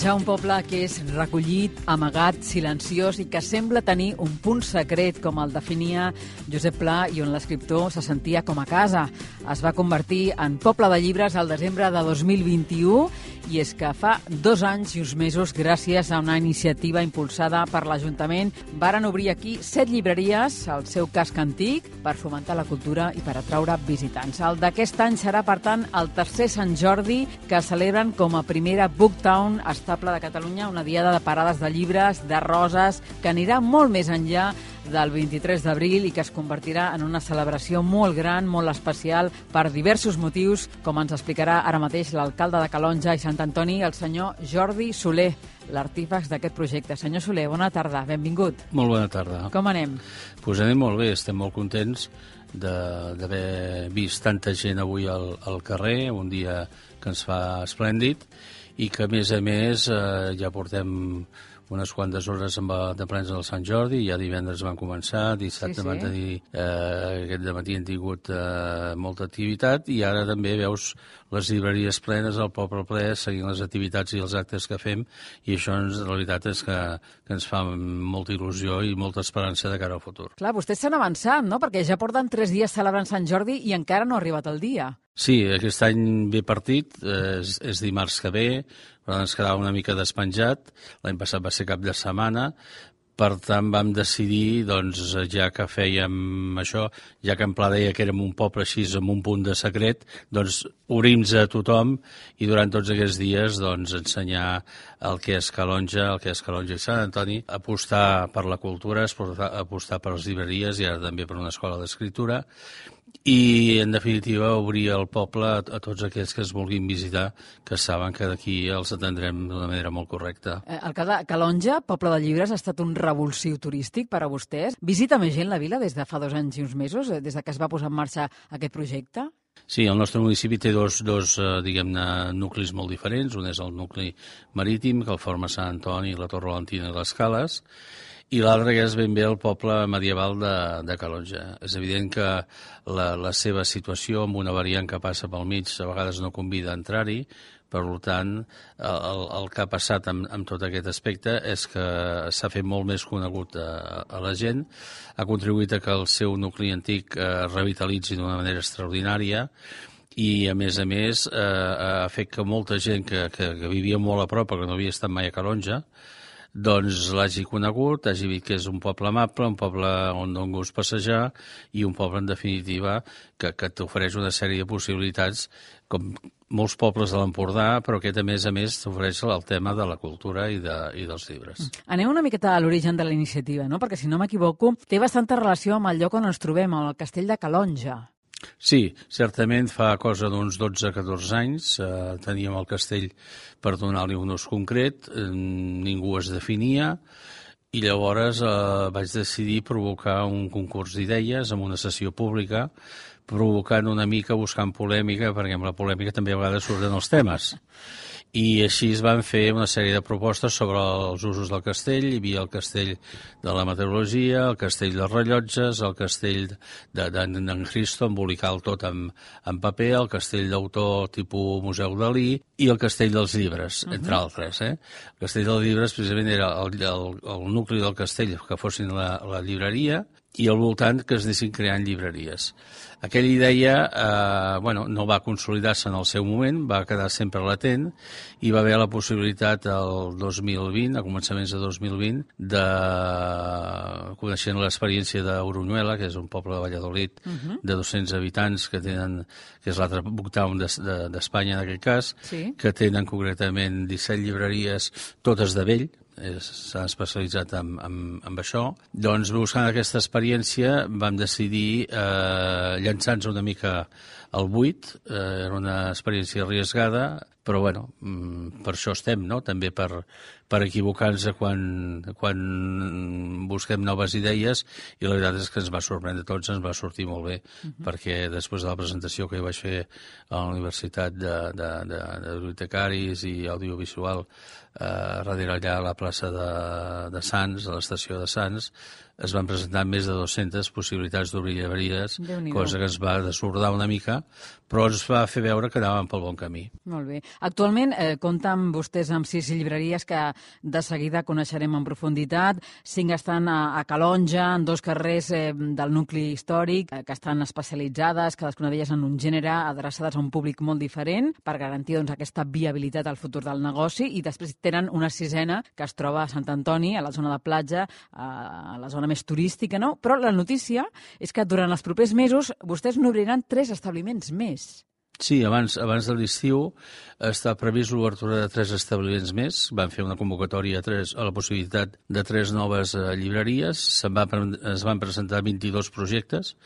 Calonja, un poble que és recollit, amagat, silenciós i que sembla tenir un punt secret, com el definia Josep Pla, i on l'escriptor se sentia com a casa. Es va convertir en poble de llibres al desembre de 2021 i és que fa 2 anys i uns mesos, gràcies a una iniciativa impulsada per l'Ajuntament, varen obrir aquí 7 llibreries al seu casc antic per fomentar la cultura i per atraure visitants. El d'aquest any serà, per tant, el tercer Sant Jordi que celebren com a primera Booktown estable de Catalunya, una diada de parades de llibres, de roses, que anirà molt més enllà del 23 d'abril i que es convertirà en una celebració molt gran, molt especial, per diversos motius, com ens explicarà ara mateix l'alcalde de Calonja i Sant Antoni, el senyor Jordi Soler, l'artífex d'aquest projecte. Senyor Soler, bona tarda, benvingut. Molt bona tarda. Com anem? Pues anem molt bé, estem molt contents d'haver vist tanta gent avui al carrer, un dia que ens fa esplèndid, i que, a més, ja portem unes quantes hores de plens del Sant Jordi, ja divendres van començar, dissabte van tenir, aquest dematí han tingut molta activitat, i ara també veus les llibreries plenes, el poble ple, seguint les activitats i els actes que fem, i això, la veritat, és que ens fa molta il·lusió i molta esperança de cara al futur. Clar, vostès s'han avançat, no?, perquè ja porten 3 dies celebrant Sant Jordi i encara no ha arribat el dia. Sí, aquest any ve partit, és dimarts que ve, però ens quedava una mica despenjat. L'any passat va ser cap de setmana, per tant vam decidir, doncs, ja que fèiem això, ja que en Pla deia que érem un poble així amb un punt de secret, doncs obrim-nos a tothom i durant tots aquests dies doncs ensenyar el que és Calonja, el que és Calonja i Sant Antoni, apostar per la cultura, apostar per les llibreries i ara també per una escola d'escriptura, i, en definitiva, obrir el poble a tots aquells que es vulguin visitar, que saben que d'aquí els atendrem d'una manera molt correcta. Alcalde, Calonja, poble de llibres, ha estat un revulsiu turístic per a vostès? Visita més gent la vila des de fa 2 anys i uns mesos, des de que es va posar en marxa aquest projecte? Sí, el nostre municipi té dos diguem-ne, nuclis molt diferents. Un és el nucli marítim, que el forma Sant Antoni, la Torre Valentina i les Cales, i l'altre que és ben bé el poble medieval de Calonja. És evident que la seva situació, amb una variant que passa pel mig, a vegades no convida a entrar-hi, per tant, el que ha passat amb tot aquest aspecte és que s'ha fet molt més conegut a la gent, ha contribuït a que el seu nucli antic es revitalitzi d'una manera extraordinària, i, a més, ha fet que molta gent que vivia molt a prop, perquè no havia estat mai a Calonja, doncs l'hagi conegut, hagi vist que és un poble amable, un poble on dona gust passejar i un poble, en definitiva, que t'ofereix una sèrie de possibilitats, com molts pobles de l'Empordà, però aquest, a més, t'ofereix el tema de la cultura i dels llibres. Anem una miqueta a l'origen de la iniciativa, no? Perquè, si no m'equivoco, té bastanta relació amb el lloc on ens trobem, al castell de Calonja. Sí, certament fa cosa d'uns 12-14 anys teníem el castell per donar-li un ús concret, ningú es definia, i llavors vaig decidir provocar un concurs d'idees amb una sessió pública, provocant una mica, buscant polèmica, perquè amb la polèmica també a vegades surten els temes. I així es van fer una sèrie de propostes sobre els usos del castell. Hi havia el castell de la meteorologia, el castell dels rellotges, el castell d'en Cristo, embolicar tot en paper, el castell d'autor tipus Museu Dalí i el castell dels llibres, entre altres. El castell dels llibres precisament era el nucli del castell, que fossin la llibreria, i al voltant que es anessin creant llibreries. Aquella idea no va consolidar-se en el seu moment, va quedar sempre latent, i va haver la possibilitat el 2020, a començaments de 2020, coneixent l'experiència d'Orunyuela, que és un poble de Valladolid de 200 habitants, que és l'altre Booktown d'Espanya en aquest cas, que tenen concretament 17 llibreries, totes de vell, s'han especialitzat en això. Doncs, buscant aquesta experiència, vam decidir llançar-nos una mica al buit. Era una experiència arriesgada, però, per això estem, no?, també per equivocar-nos quan busquem noves idees, i la veritat és que ens va sorprendre a tots, ens va sortir molt bé, perquè després de la presentació que jo vaig fer a la Universitat de Bibliotecaris i Audiovisual, darrere allà a la plaça de Sants, a l'estació de Sants, es van presentar més de 200 possibilitats d'obrir llibreries, cosa que ens va desbordar una mica, però ens va fer veure que anàvem pel bon camí. Molt bé. Actualment compten vostès amb 6 llibreries que de seguida coneixerem en profunditat. 5 estan a Calonja, en 2 carrers del nucli històric, que estan especialitzades, cadascuna d'elles en un gènere, adreçades a un públic molt diferent, per garantir doncs, aquesta viabilitat al futur del negoci, i després tenen una 6a que es troba a Sant Antoni, a la zona de platja, a la zona més turística, no? Però la notícia és que durant els propers mesos vostès n'obriran 3 establiments més. Sí, abans de l'estiu està previst l'obertura de 3 establiments més. Van fer una convocatòria a la possibilitat de 3 noves llibreries. Es van presentar 22 projectes,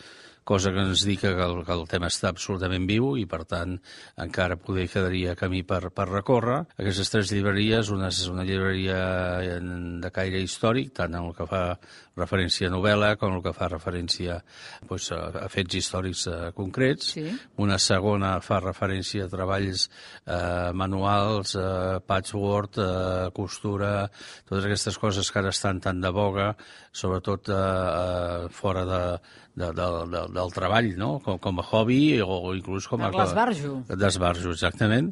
cosa que ens indica que el tema està absolutament viu i, per tant, encara poder quedaria camí per recórrer. Aquestes 3 llibreries, una és una llibreria de caire històric, tant en el que fa referència a novel·la com el que fa referència a fets històrics concrets. Sí. Una segona fa referència a treballs manuals, patchwork, costura, totes aquestes coses que ara estan tan de boga, sobretot fora del treball, no? Com a hobby o inclús com a... L'esbarjo. D'esbarjo, exactament.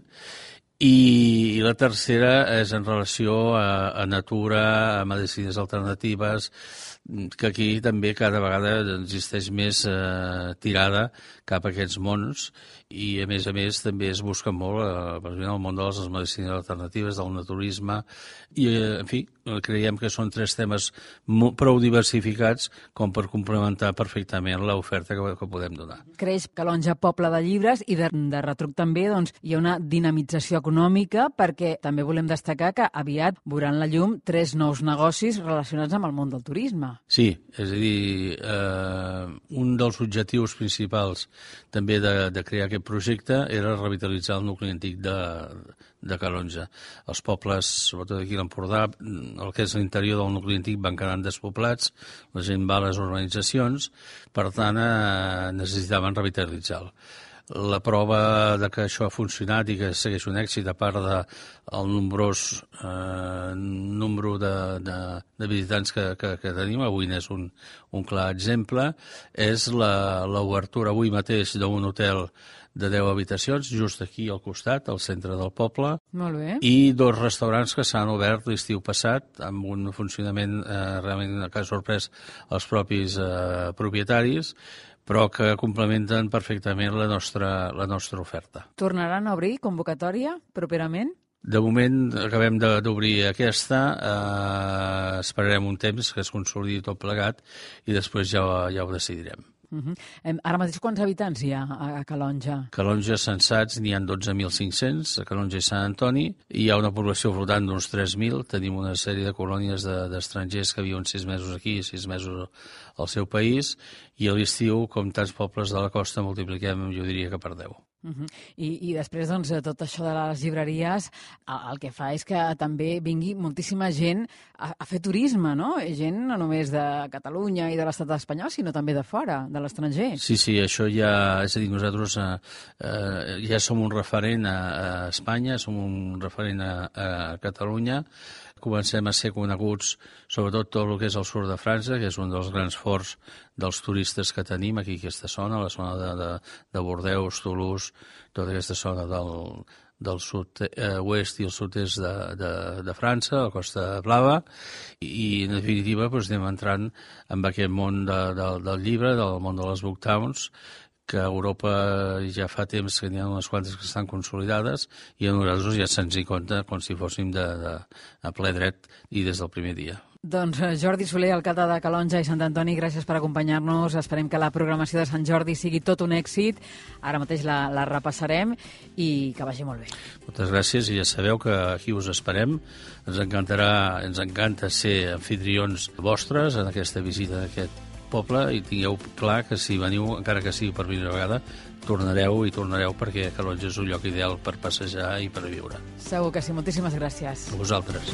I la tercera és en relació a natura, a medicines alternatives, que aquí també cada vegada existeix més tirada cap a aquests mons i, a més també es busca molt el món de les medicines alternatives, del naturisme i, en fi, creiem que són 3 temes prou diversificats com per complementar perfectament l'oferta que podem donar. Creix Calonja poble de llibres i de retruc també doncs, hi ha una dinamització econòmica perquè també volem destacar que aviat veuran la llum 3 nous negocis relacionats amb el món del turisme. Sí, és a dir, un dels objectius principals també de crear aquest projecte era revitalitzar el nucli antic de Calonja. Els pobles, sobretot aquí a l'Empordà, el que és l'interior del nucli antic van quedant despoblats, la gent va a les urbanitzacions, per tant necessitaven revitalitzar-lo. La prova de que això ha funcionat i que segueix un èxit, a part del nombrós número de visitants que tenim, avui n'és un clar exemple, és l'obertura avui mateix d'un hotel de 10 habitacions, just aquí al costat, al centre del poble. Molt bé. I 2 restaurants que s'han obert l'estiu passat, amb un funcionament realment que ha sorprès els propis propietaris, però que complementen perfectament la nostra oferta. Tornaran a obrir convocatòria properament? De moment acabem d'obrir aquesta, esperarem un temps que es consolidi tot plegat i després ja ho decidirem. Ara mateix quants habitants hi ha a Calonja? Calonja censats n'hi ha 12.500, a Calonja i Sant Antoni. Hi ha una població flotant d'uns 3.000. Tenim una sèrie de colònies d'estrangers que viuen 6 mesos aquí i 6 mesos al seu país. I a l'estiu, com tants pobles de la costa, multipliquem, jo diria que per 10. I després, doncs, tot això de les llibreries, el que fa és que també vingui moltíssima gent a fer turisme, no? Gent no només de Catalunya i de l'estat espanyol, sinó també de fora, de l'estranger. Sí, això ja... És a dir, nosaltres ja som un referent a Espanya, som un referent a Catalunya, comencem a ser coneguts, sobretot tot el que és el sud de França, que és un dels grans forts dels turistes que tenim aquí, aquesta zona, la zona de Bordeus, Toulouse, tota aquesta zona del sud-oest i el sud-est de França, la Costa Blava, i en definitiva anem entrant en aquest món del llibre, del món de les book towns, que a Europa ja fa temps que n'hi ha unes quantes que estan consolidades i a nosaltres ja se'ns hi compta com si fóssim a ple dret i des del primer dia. Doncs Jordi Soler, alcalde de Calonja i Sant Antoni, gràcies per acompanyar-nos. Esperem que la programació de Sant Jordi sigui tot un èxit. Ara mateix la repassarem i que vagi molt bé. Moltes gràcies i ja sabeu que aquí us esperem. Ens encanta ser anfitrions vostres en aquesta visita d'aquest poble i tingueu clar que si veniu, encara que sigui per primera vegada, tornareu perquè Calonja és un lloc ideal per passejar i per viure. Segur que sí. Moltíssimes gràcies. A vosaltres.